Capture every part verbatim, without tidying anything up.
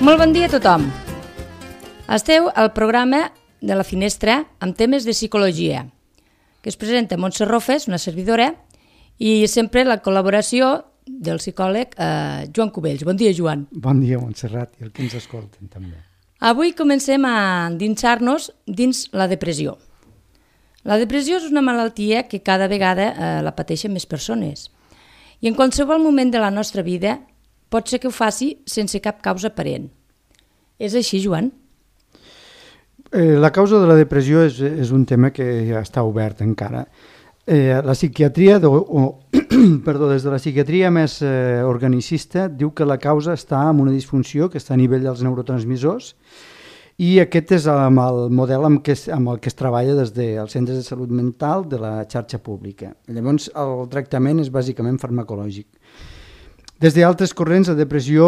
Molt bon dia a tothom. Esteu al programa de la Finestra amb temes de psicologia, que es presenta Montse Rofes, una servidora, i sempre la col·laboració del psicòleg eh, Joan Cubells. Bon dia, Joan. Bon dia, Montserrat, i el que ens escolten també. Avui comencem a endinsar-nos dins la depressió. La depressió és una malaltia que cada vegada eh, la pateixen més persones. I en qualsevol moment de la nostra vida pot ser que ho faci sense cap causa aparent. És així, Joan? Eh, la causa de la depressió és, és un tema que ja està obert encara. Eh, la psiquiatria, o, o, perdó, des de la psiquiatria més eh, organicista, diu que la causa està en una disfunció que està a nivell dels neurotransmissors, i aquest és amb el model amb, que, amb el que es treballa des dels centres de salut mental de la xarxa pública. Llavors, el tractament és bàsicament farmacològic. Des d'altres corrents, la depressió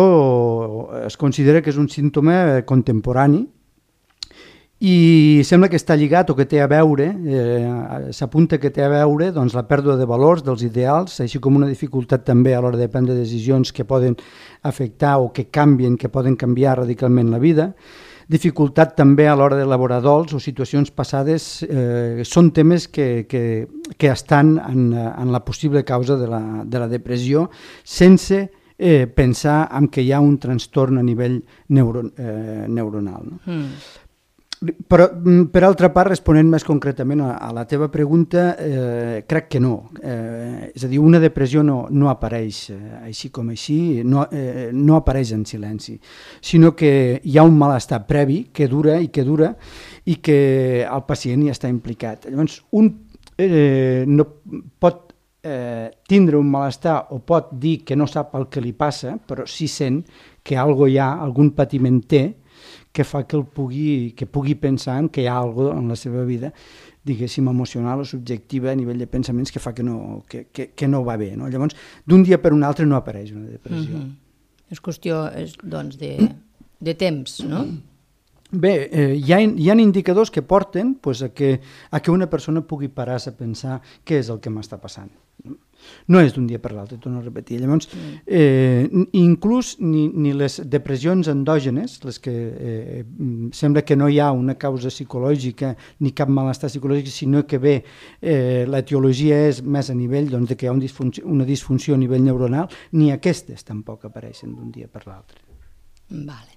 es considera que és un símptoma contemporani i sembla que està lligat o que té a veure, eh, s'apunta que té a veure doncs, la pèrdua de valors, dels ideals, així com una dificultat també a l'hora de prendre decisions que poden afectar o que canvien, que poden canviar radicalment la vida. Dificultat també a l'hora d'elaborar dols o situacions passades, eh, són temes que, que, que estan en, en la possible causa de la, de la depressió sense eh, pensar en que hi ha un trastorn a nivell neuro, eh, neuronal. No? Mm. Però, per altra part, responent més concretament a, a la teva pregunta, eh, crec que no. Eh, és a dir, una depressió no, no apareix eh, així com així, no, eh, no apareix en silenci, sinó que hi ha un malestar previ que dura i que dura i que el pacient hi està implicat. Llavors, un eh, no pot eh, tindre un malestar o pot dir que no sap el que li passa, però sí sent que algo hi ha, algun patiment té, que fa que, el pugui, que pugui pensar en que hi ha alguna cosa en la seva vida, diguéssim, emocional o subjectiva a nivell de pensaments que fa que no, que, que, que no va bé. No? Llavors, d'un dia per un altre no apareix una depressió. Mm-hmm. És qüestió és, doncs, de, de temps, no? Bé, eh, hi, ha, hi ha indicadors que porten pues, a, que, a que una persona pugui parar-se a pensar què és el que m'està passant. No és d'un dia per l'altre, torno a repetir. Llavors, eh, inclús ni, ni les depressions endògenes, les que eh, sembla que no hi ha una causa psicològica ni cap malestar psicològic, sinó que bé, eh, l'etiologia és més a nivell doncs, de que hi ha un disfunció, una disfunció a nivell neuronal, ni aquestes tampoc apareixen d'un dia per l'altre. Vale.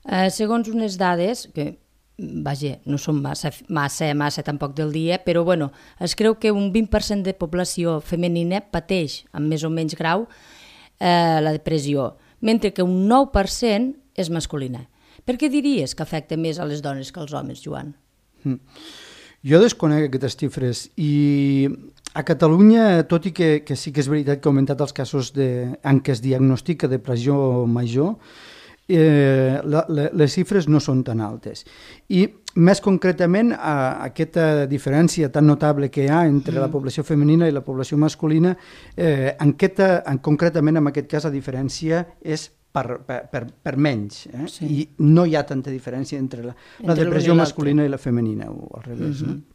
Eh, segons unes dades que vaja, no són massa, massa, massa tampoc del dia, però bueno, es creu que un vint per cent de població femenina pateix amb més o menys grau eh, la depressió, mentre que un nou per cent és masculina. Per què diries que afecta més a les dones que als homes, Joan? Mm. Jo desconec aquestes xifres i a Catalunya, tot i que, que sí que és veritat que ha augmentat els casos de, en què es diagnostica depressió major, Eh, la, la, les xifres no són tan altes. I més concretament a, a aquesta diferència tan notable que hi ha entre mm. la població femenina i la població masculina, eh, en aquesta, en, concretament en aquest cas la diferència és per, per, per, per menys, eh? Sí. I no hi ha tanta diferència entre la, entre la depressió masculina i la femenina, o al revés. Mm-hmm. No?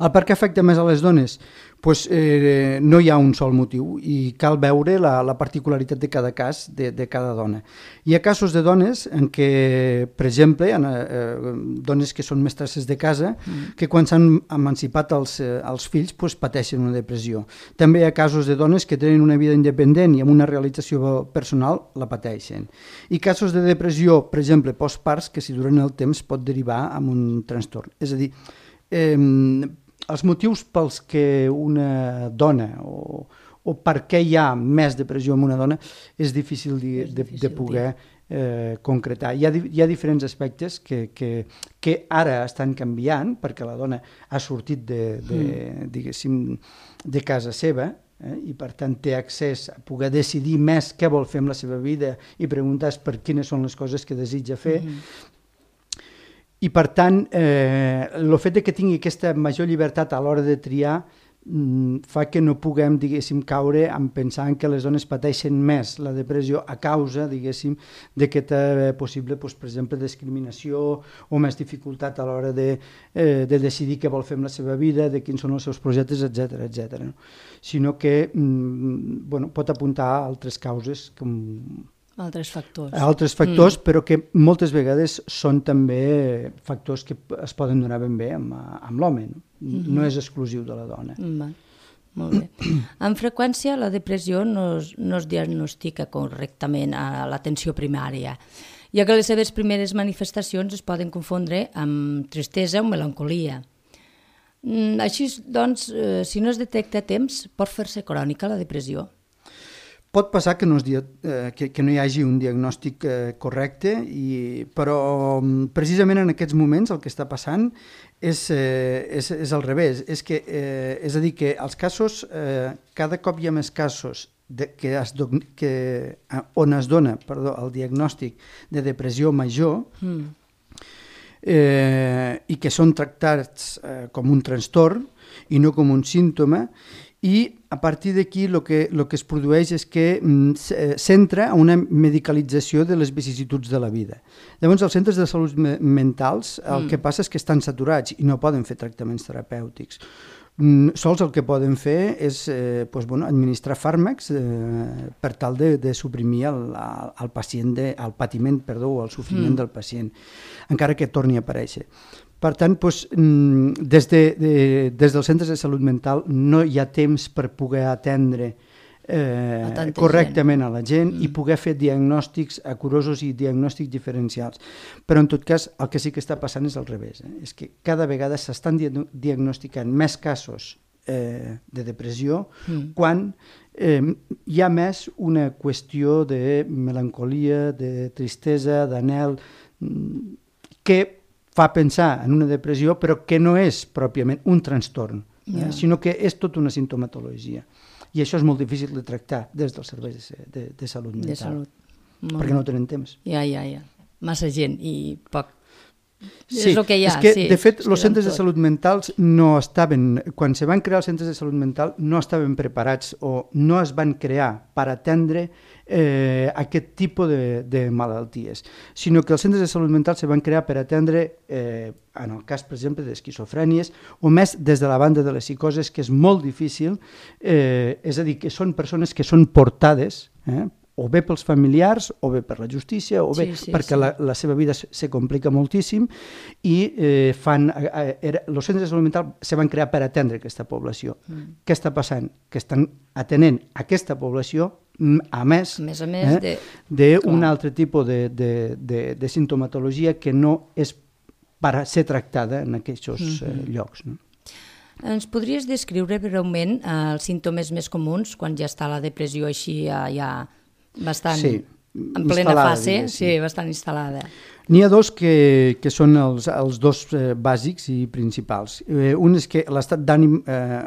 El per què afecta més a les dones? Pues, eh, no hi ha un sol motiu i cal veure la, la particularitat de cada cas de, de cada dona. Hi ha casos de dones en què, per exemple, en, eh, dones que són mestresses de casa, mm. que quan s'han emancipat els, eh, els fills pues, pateixen una depressió. També hi ha casos de dones que tenen una vida independent i amb una realització personal la pateixen. I casos de depressió, per exemple, postparts, que si duren el temps pot derivar en un trastorn. És a dir, Eh, els motius pels que una dona o, o per què hi ha més depressió en una dona és difícil de, és difícil de, de poder eh, concretar. Hi ha, hi ha diferents aspectes que, que, que ara estan canviant perquè la dona ha sortit de, de, mm. diguéssim, de casa seva, eh, i per tant té accés a poder decidir més què vol fer amb la seva vida i preguntar per quines són les coses que desitja fer. Mm. I, per tant, eh, el fet de que tingui aquesta major llibertat a l'hora de triar mm, fa que no puguem, diguéssim, caure en pensar que les dones pateixen més la depressió a causa, diguéssim, d'aquesta possible, doncs, per exemple, discriminació o més dificultat a l'hora de, eh, de decidir què vol fer amb la seva vida, de quins són els seus projectes, etcètera, etcètera. No? Sinó que mm, bueno, pot apuntar a altres causes com Altres factors. Altres factors, mm. però que moltes vegades són també factors que es poden donar ben bé amb, amb l'home. No? Mm-hmm. No és exclusiu de la dona. Va. Molt bé. Amb freqüència la depressió no es, no es diagnostica correctament a l'atenció primària, ja que les seves primeres manifestacions es poden confondre amb tristesa o melancolia. Així, doncs, eh, si no es detecta a temps, pot fer-se crònica la depressió. Pot passar que no, es, eh, que, que no hi hagi un diagnòstic eh, correcte, i, però precisament en aquests moments el que està passant és, eh, és, és al revés. És, que, eh, és a dir, que els casos, eh, cada cop hi ha més casos de, que es, que, on es dona perdó, el diagnòstic de depressió major, mm. eh, i que són tractats eh, com un trastorn i no com un símptoma, i a partir d'aquí el que, lo que es produeix és que s'entra a una medicalització de les vicissituds de la vida. Llavors, els centres de salut me mentals el mm. que passa és que estan saturats i no poden fer tractaments terapèutics. Mm, sols el que poden fer és eh, pues, bueno, administrar fàrmacs eh, per tal de, de suprimir el, el, pacient de, el patiment perdó, o el sofriment mm. del pacient, encara que torni a aparèixer. Per tant, doncs, des, de, de, des dels centres de salut mental no hi ha temps per poder atendre eh, correctament gent. a la gent mm. i poder fer diagnòstics acurosos i diagnòstics diferencials. Però en tot cas el que sí que està passant és al revés. Eh? És que cada vegada s'estan diagnosticant més casos eh, de depressió mm. quan eh, hi ha més una qüestió de melancolia, de tristesa, d'anhel, que fa pensar en una depressió, però que no és pròpiament un trastorn, eh? yeah. sinó que és tota una simptomatologia. I això és molt difícil de tractar des dels serveis de, de, de salut mental. De salut. Perquè no tenen temps. Ja, ja, ja. Massa gent i poc. Sí, és el que hi ha. És que, sí, de fet, els centres tot. de salut mentals no estaven, quan se van crear els centres de salut mental, no estaven preparats o no es van crear per atendre eh, aquest tipus de, de malalties, sinó que els centres de salut mental se van crear per atendre, eh, en el cas, per exemple, d'esquizofrènies, o més des de la banda de les psicoses, que és molt difícil, eh, és a dir, que són persones que són portades, eh, o bé pels familiars, o bé per la justícia, o bé sí, sí, perquè sí. La, la seva vida se complica moltíssim, i eh, fan, eh, era, els centres de salut mental se van crear per atendre aquesta població. Mm. Què està passant? Que estan atenent aquesta població a més, a més, a més eh, d'un altre tipus de, de, de, de simptomatologia que no és per ser tractada en aquests mm-hmm. eh, llocs. No? Ens podries descriure breument eh, els símptomes més comuns quan ja està la depressió així ja, ja bastant sí, en plena fase, sí, bastant instal·lada. N'hi ha dos que, que són els, els dos eh, bàsics i principals. Eh, un és que l'estat d'ànim, eh,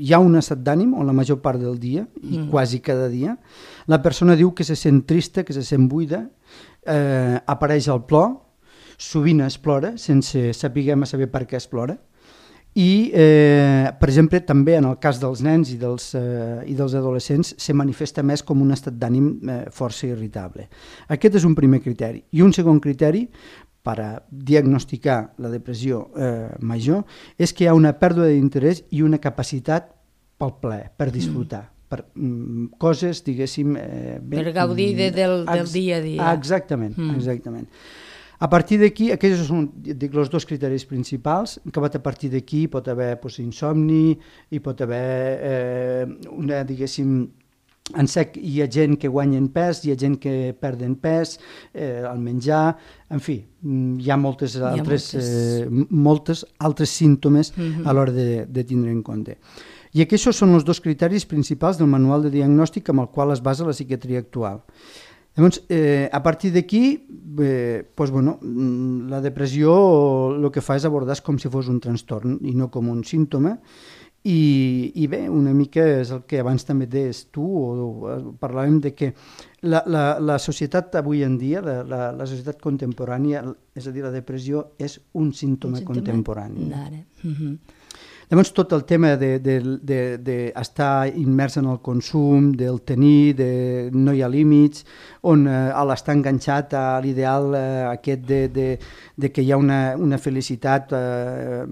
hi ha un estat d'ànim on la major part del dia, i mm. quasi cada dia, la persona diu que se sent trista, que se sent buida, eh, apareix el plor, sovint es plora, sense saber saber per què es plora, i, eh, per exemple, també en el cas dels nens i dels, eh, i dels adolescents se manifesta més com un estat d'ànim eh, força irritable. Aquest és un primer criteri. I un segon criteri per a diagnosticar la depressió eh, major és que hi ha una pèrdua d'interès i una capacitat pel plaer, per disfrutar. Mm. per mm, coses, diguéssim... Eh, ben, per gaudir de, del, del dia a dia. Exactament, mm. exactament. A partir d'aquí, aquests són dic, els dos criteris principals, que a partir d'aquí pot haver pues, insomni, hi pot haver eh, una, diguéssim, en sec hi ha gent que guanyen pes, hi ha gent que perden pes, eh, al menjar, en fi, hi ha moltes altres, hi ha moltes... Eh, moltes altres símptomes mm-hmm. a l'hora de, de tindre en compte. I aquests són els dos criteris principals del manual de diagnòstic amb el qual es basa la psiquiatria actual. Llavors, eh, a partir d'aquí, eh, pues, bueno, la depressió el que fa és abordar com si fos un trastorn i no com un símptoma, i, i bé, una mica és el que abans també deies tu, o, o parlàvem de que la, la, la societat avui en dia, la, la, la societat contemporània, és a dir, la depressió és un símptoma, un símptoma contemporani. Mm-hmm. Llavors, tot el tema d'estar de, de, de immers en el consum, del tenir, de no hi ha límits, on eh, l'estar enganxat a l'ideal eh, aquest de, de, de que hi ha una, una felicitat eh,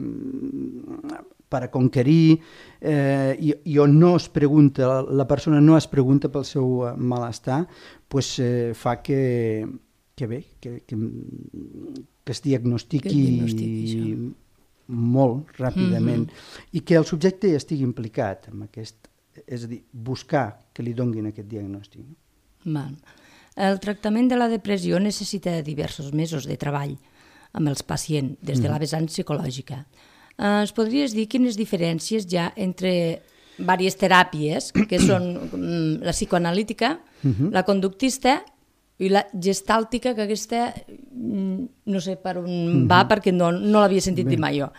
per a conquerir, eh, i, i on no es pregunta, la persona no es pregunta pel seu malestar, pues, eh, fa que, que bé, que, que, que es diagnostiqui, que es diagnostiqui molt ràpidament, mm-hmm. i que el subjecte estigui implicat en aquest, és a dir, buscar que li donguin aquest diagnòstic. Val. El tractament de la depressió necessita diversos mesos de treball amb els pacients, des de la vessant psicològica. Eh, es podries dir quines diferències hi ha entre diverses teràpies, que són mm, la psicoanalítica, uh-huh. la conductista i la gestàltica, que aquesta mm, no sé per on uh-huh. va, perquè no, no l'havia sentit Bé. dir mai jo.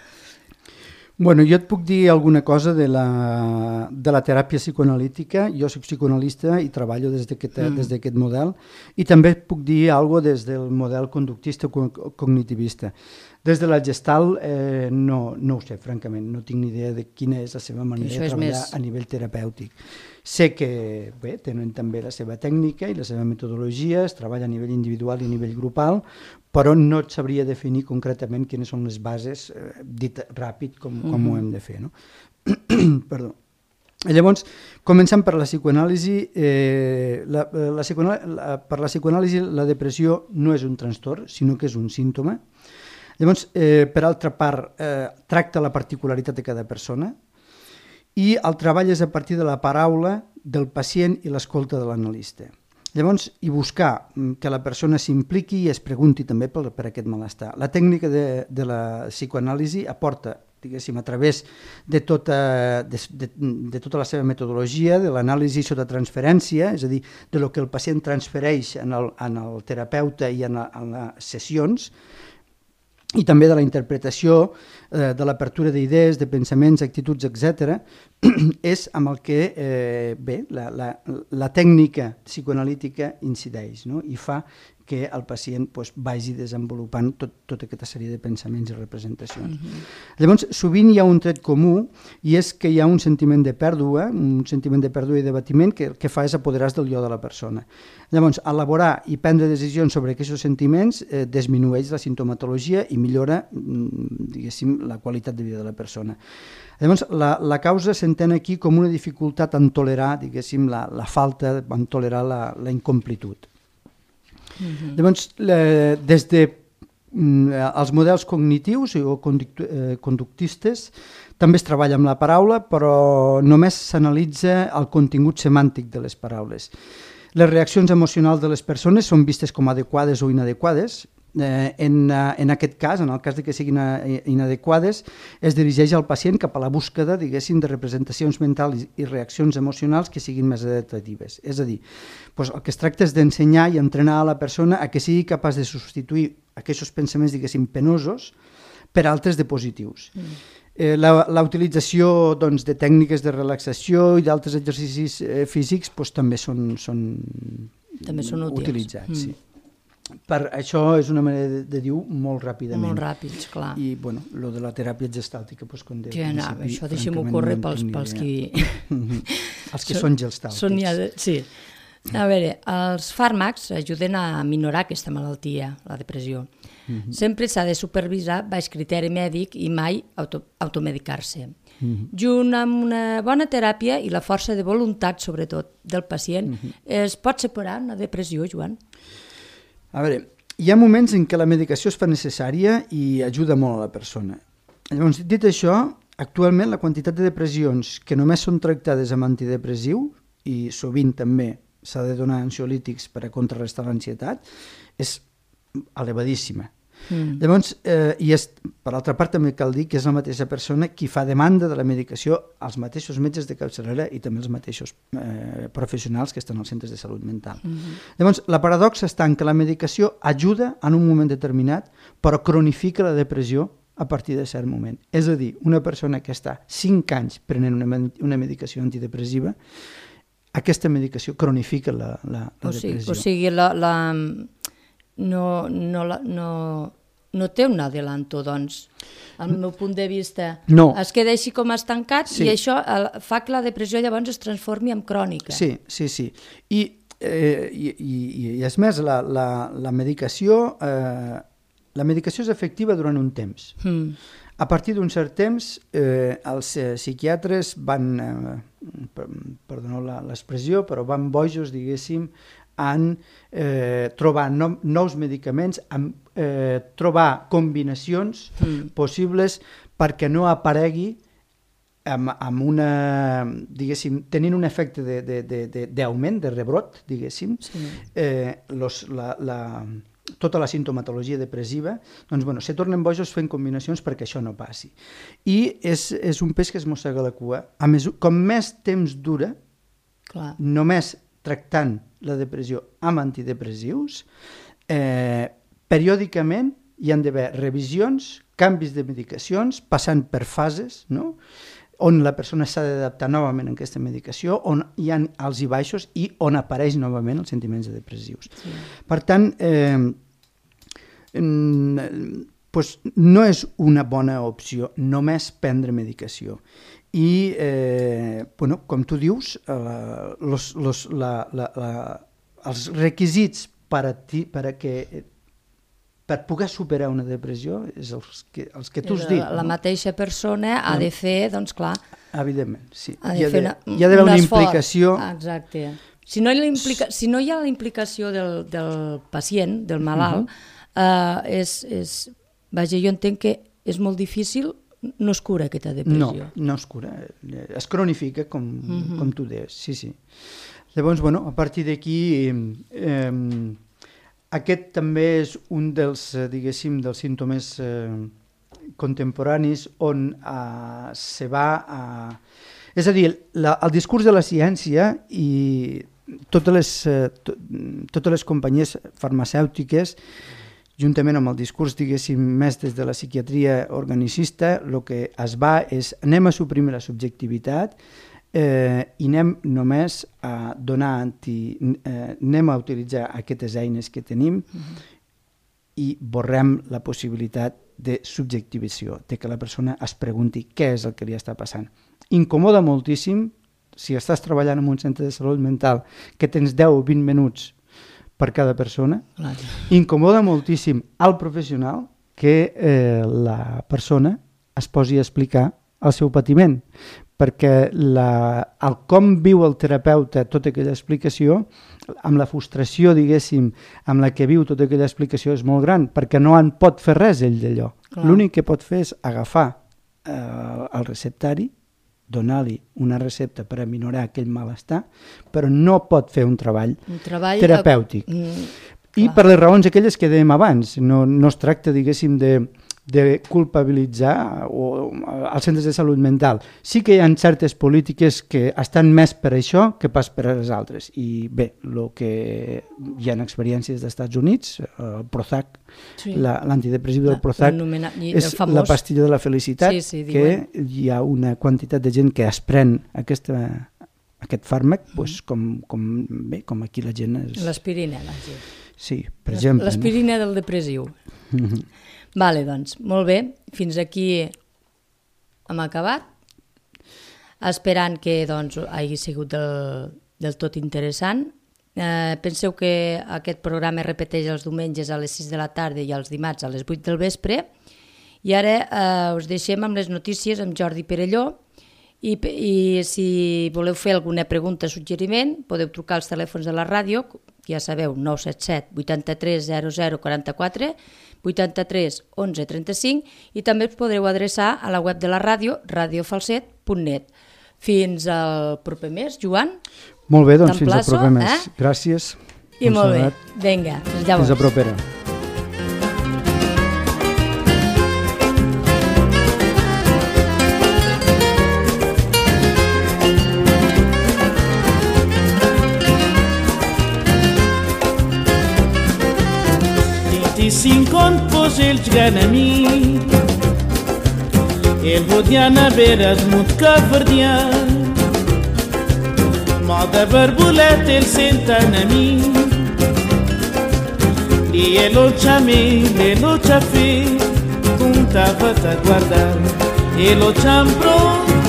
Bueno, jo et puc dir alguna cosa de la, de la teràpia psicoanalítica. Jo soc psicoanalista i treballo des d'aquest mm. des d'aquest model, i també puc dir alguna cosa des del model conductista o cognitivista. Des de la Gestalt eh, no, no ho sé, francament, no tinc ni idea de quina és la seva manera de treballar més... a nivell terapèutic. Sé que bé, tenen també la seva tècnica i la seva metodologia, es treballa a nivell individual i a nivell grupal, però no et sabria definir concretament quines són les bases, eh, dit ràpid com, com mm-hmm. ho hem de fer. No? Perdó. Llavors, començant per la psicoanàlisi, eh, la, la psicoanàlisi la, per la psicoanàlisi la depressió no és un trastorn, sinó que és un símptoma. Llavors, eh, per altra part, eh, tracta la particularitat de cada persona, i el treball és a partir de la paraula del pacient i l'escolta de l'analista. Llavors, i buscar que la persona s'impliqui i es pregunti també per, per aquest malestar. La tècnica de, de la psicoanàlisi aporta, diguéssim, a través de tota, de, de, de tota la seva metodologia, de l'anàlisi sota transferència, és a dir, de lo que el pacient transfereix en el, en el terapeuta i en, a, en les sessions, i també de la interpretació, eh, de l'apertura d'idees, de pensaments, actituds, etcètera, és amb el que eh, bé, la, la, la tècnica psicoanalítica incideix, no? I fa que el pacient pues, vagi desenvolupant tot, tota aquesta sèrie de pensaments i representacions. Mm-hmm. Llavors, sovint hi ha un tret comú, i és que hi ha un sentiment de pèrdua, un sentiment de pèrdua i d'abatiment que el que fa és apoderar-se del jo de la persona. Llavors, elaborar i prendre decisions sobre aquests sentiments eh, disminueix la sintomatologia i millora, diguéssim, la qualitat de vida de la persona. Llavors, la, la causa s'entén aquí com una dificultat en tolerar, diguéssim, la, la falta, en tolerar la, la incomplitud. Mm-hmm. Llavors, eh, des de mm, els models cognitius o conduct, eh, conductistes també es treballa amb la paraula, però només s'analitza el contingut semàntic de les paraules. Les reaccions emocionals de les persones són vistes com adequades o inadequades. Eh, en, en aquest cas, en el cas de que siguin inadequades, es dirigeix al pacient cap a la búsqueda, diguéssim, de representacions mentals i reaccions emocionals que siguin més adaptatives. És a dir, doncs el que es tracta és d'ensenyar i entrenar a la persona a que sigui capaç de substituir aquests pensaments, diguéssim, penosos per altres de positius. Mm. Eh, la, la utilització doncs, de tècniques de relaxació i d'altres exercicis eh, físics doncs, també són, són, també són útils. Utilitzats. Mm. Sí. Per això és una manera de, de dir molt ràpidament. Molt ràpids, clar. I, bueno, lo de la teràpia gestàltica, doncs, com de que no, això deixem-ho córrer pels, pels qui... Els que són, són gestàltics. Són ja de... Sí. A veure, els fàrmacs ajuden a minorar aquesta malaltia, la depressió. Mm-hmm. Sempre s'ha de supervisar baix criteri mèdic i mai auto, automedicar-se. Mm-hmm. Junt amb una bona teràpia i la força de voluntat, sobretot, del pacient, mm-hmm. es pot separar una depressió, Joan? A veure, hi ha moments en què la medicació es fa necessària i ajuda molt a la persona. Llavors, dit això, actualment la quantitat de depressions que només són tractades amb antidepressiu, i sovint també s'ha de donar ansiolítics per a contrarrestar l'ansietat, és elevadíssima. Mm. Llavors, eh, i és, per altra part també cal dir que és la mateixa persona qui fa demanda de la medicació als mateixos metges de capçalera i també els mateixos eh, professionals que estan als centres de salut mental. Mm-hmm. Llavors, la paradoxa està en que la medicació ajuda en un moment determinat, però cronifica la depressió a partir de cert moment. És a dir, una persona que està cinc anys prenent una, una medicació antidepressiva, aquesta medicació cronifica la, la, la o sigui, depressió. O sigui, la... la... No, no, no, no té un adelanto, doncs, al meu punt de vista. No. Es queda així com estancat, sí. I això fa que la depressió llavors es transformi en crònica. Sí, sí, sí. I, eh, i, i, i és més, la, la, la medicació... Eh, la medicació és efectiva durant un temps. Mm. A partir d'un cert temps, eh, els eh, psiquiatres van, eh, perdoneu l'expressió, però van bojos, diguéssim, en eh, trobar no, nous medicaments, en eh, trobar combinacions mm. possibles perquè no aparegui amb, amb una, diguéssim, tenint un efecte d'augment, de, de, de, de rebrot, diguéssim, sí. eh, los, la, la, tota la sintomatologia depressiva, doncs, bueno, se tornen bojos fent combinacions perquè això no passi. I és, és un peix que es mossega la cua. A més, com més temps dura, clar. Només tractant la depressió amb antidepressius, eh, periòdicament hi han d'haver revisions, canvis de medicacions, passant per fases, no?, on la persona s'ha d'adaptar novament a aquesta medicació, on hi ha alts i baixos i on apareix novament els sentiments depressius. Sí. Per tant, eh, eh, pues no és una bona opció només prendre medicació. I, eh, bueno, com tu dius, eh, los, los, la, la, la, els requisits per a, ti, per a que per poder superar una depressió és els que, els que tu has dit. La, la mateixa persona ha de fer, doncs clar... Evidentment, sí. Ha d'haver una, hi ha d'haver una implicació... Exacte. Si no hi ha, implica, si no hi ha la implicació del, del pacient, del malalt, uh-huh. eh, és, és... Vaja, jo entenc que és molt difícil, no es cura aquesta depressió. No, no es cura, es cronifica, com, uh-huh. com tu deies, sí, sí. Llavors, bueno, a partir d'aquí... Eh, Aquest també és un dels, diguéssim, dels símptomes eh, contemporanis on eh, se va a... És a dir, la, el discurs de la ciència i totes les, eh, to, totes les companyies farmacèutiques, juntament amb el discurs, diguéssim, més des de la psiquiatria organicista, el que es va és anem a suprimir la subjectivitat, Eh, i anem només a donar anti, eh, anem a utilitzar aquestes eines que tenim uh-huh. i borrem la possibilitat de subjectivació, de que la persona es pregunti què és el que li està passant. Incomoda moltíssim, si estàs treballant en un centre de salut mental, que tens deu o vint minuts per cada persona, uh-huh. incomoda moltíssim al professional que eh, la persona es posi a explicar el seu patiment, perquè la, el com viu el terapeuta tota aquella explicació, amb la frustració, diguéssim, amb la que viu tota aquella explicació és molt gran, perquè no en pot fer res ell d'allò. L'únic que pot fer és agafar eh, el receptari, donar-li una recepta per aminorar aquell malestar, però no pot fer un treball, un treball terapèutic. A... Mm, I per les raons aquelles que dèiem abans, no, no es tracta, diguéssim, de... de culpabilitzar o, els centres de salut mental. Sí que hi ha certes polítiques que estan més per això que pas per a les altres. I bé, el que hi ha experiències dels Estats Units, el Prozac, sí. la, l'antidepressiu del Prozac, és famós. La pastilla de la felicitat, sí, sí, que hi ha una quantitat de gent que es pren aquesta, aquest fàrmac, mm. doncs com, com, bé, com aquí la gent... És... L'aspirina, la gent. Sí, per exemple. L'aspirina no? Del depressiu. Mm-hmm. Vale, doncs, molt bé, fins aquí hem acabat, esperant que doncs, hagi sigut del, del tot interessant. Eh, penseu que aquest programa es repeteix els diumenges a les sis de la tarda i els dimarts a les vuit del vespre, i ara eh, us deixem amb les notícies amb Jordi Perelló, i, i si voleu fer alguna pregunta o suggeriment podeu trucar als telèfons de la ràdio, ja sabeu, nou set set vuitanta-tres zero zero quaranta-quatre, vuitanta-tres onze trenta-cinc, i també us podreu adreçar a la web de la ràdio, radiofalset punt net. Fins al proper mes, Joan. Molt bé, doncs fins al proper mes. Eh? Gràcies. I molt bé, vinga, fins llavors. Fins a propera. Cinco pos el gana mi el bodiana veras mut caverdian moda barbulet el sentana mi e elo chame elo chafe puntava a guardar elo champro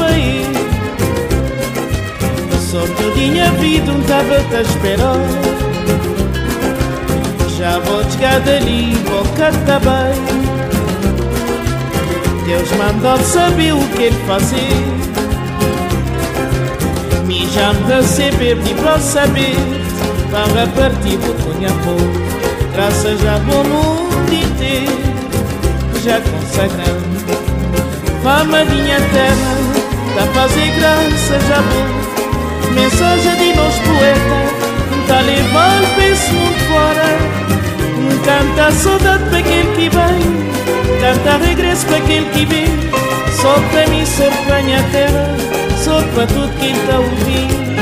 vai sorte dinha vida um tava a esperar. Já vou chegar dali, vou cantar bem. Deus mandou saber o que ele fazer. Me já me receber de para saber, para partir o cunha-pô. Graças a bom mundo inteiro, já consagrando fama minha terra, da fazer graça já bom. Mensagem de nós poeta, tá levando para esse mundo fora. Canta saudade para aquele que vem, canta regresso para aquele que vem. Só para mim, só para minha terra, só para tudo quem tá ouvindo.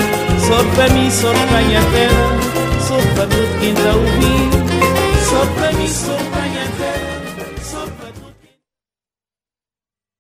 Só para mim, só para minha terra, só para tudo quem tá ouvindo. Só para mim, só